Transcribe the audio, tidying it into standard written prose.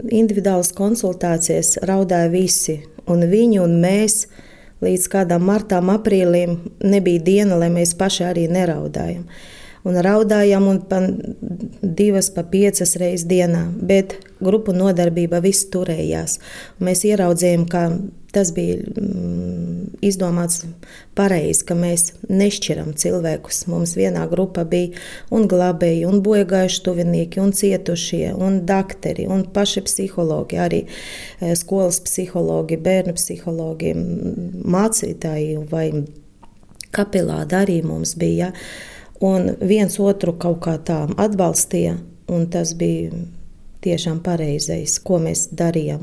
individuālas konsultācijas raudāja visi, un viņi un mēs līdz kādām martām, aprīlim nebija diena, lai mēs paši arī neraudājam. Un raudājam un pa 2, pa 5 reizes dienā, bet grupu nodarbība viss turējās. Un mēs ieraudzījām, ka tas bija izdomāts pareizi, ka mēs nešķiram cilvēkus. Mums vienā grupā bija un glābēji, un bojagājuši tuvinieki, un cietušie, un dakteri, un paši psihologi, arī skolas psihologi, bērnu psihologi, mācītāji vai kapelāni arī mums bija. Un viens otru kaut kā tā atbalstīja, un tas bija tiešām pareizais, ko mēs darījām.